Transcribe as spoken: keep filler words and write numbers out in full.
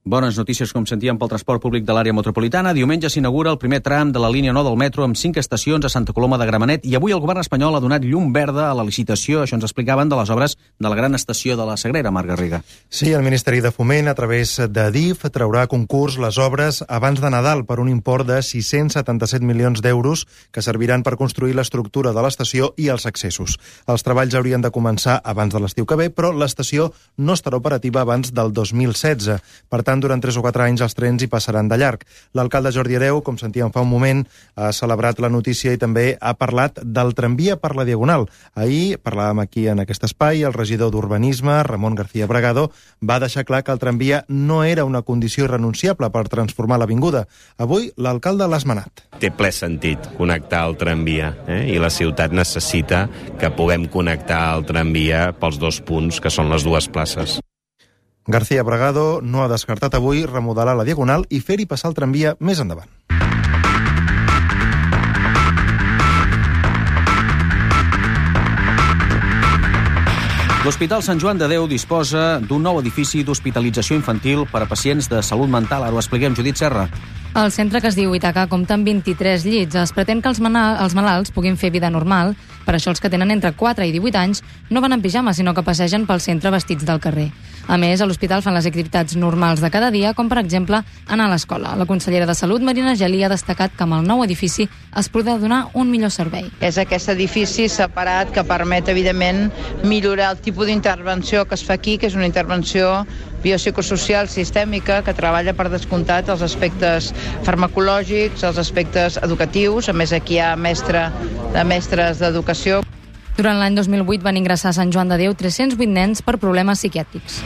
Bones notícies, com sentíem, pel transport públic de l'àrea metropolitana. Diumenge s'inaugura el primer tram de la línia nou del metro amb cinc estacions a Santa Coloma de Gramenet i avui el govern espanyol ha donat llum verda a la licitació, això ens explicaven, de les obres de la gran estació de la Sagrera, Marc Garriga. Sí, el Ministeri de Foment, a través de D I F, traurà a concurs les obres abans de Nadal per un import de sis-cents setanta-set milions d'euros que serviran per construir l'estructura de l'estació i els accessos. Els treballs haurien de començar abans de l'estiu que ve, però l'estació no estarà operativa abans del dos mil setze. Per tant, durant tres o quatre anys els trens hi passaran de llarg. L'alcalde Jordi Hereu, com sentíem fa un moment, ha celebrat la notícia i també ha parlat del tramvia per la Diagonal. Ahir parlàvem aquí en aquest espai, el regidor d'Urbanisme, Ramon García Bragado, va deixar clar que el tramvia no era una condició irrenunciable per transformar l'avinguda. Avui l'alcalde l'ha esmenat. Té ple sentit connectar el tramvia, eh? I la ciutat necessita que puguem connectar el tramvia pels dos punts, que són les dues places. García Bragado no ha descartat avui remodelar la Diagonal i fer-hi passar el tramvia més endavant. L'Hospital Sant Joan de Déu disposa d'un nou edifici d'hospitalització infantil per a pacients de salut mental. Ara ho expliquem, Judit Serra. El centre, que es diu Ítaca, compta amb vint-i-tres llits. Es pretén que els, mana- els malalts puguin fer vida normal. Per això els que tenen entre quatre i divuit anys no van en pijama, sinó que passegen pel centre vestits del carrer. A més, a l'hospital fan les activitats normals de cada dia, com per exemple anar a l'escola. La consellera de Salut, Marina Geli, ha destacat que amb el nou edifici es podrà donar un millor servei. És aquest edifici separat que permet, evidentment, millorar el tipus d'intervenció que es fa aquí, que és una intervenció biopsicosocial sistèmica que treballa per descomptat els aspectes farmacològics, els aspectes educatius. A més, aquí hi ha mestre de mestres d'educació. Durant l'any dos mil vuit van ingressar a Sant Joan de Déu tres-cents vuit nens per problemes psiquiàtrics.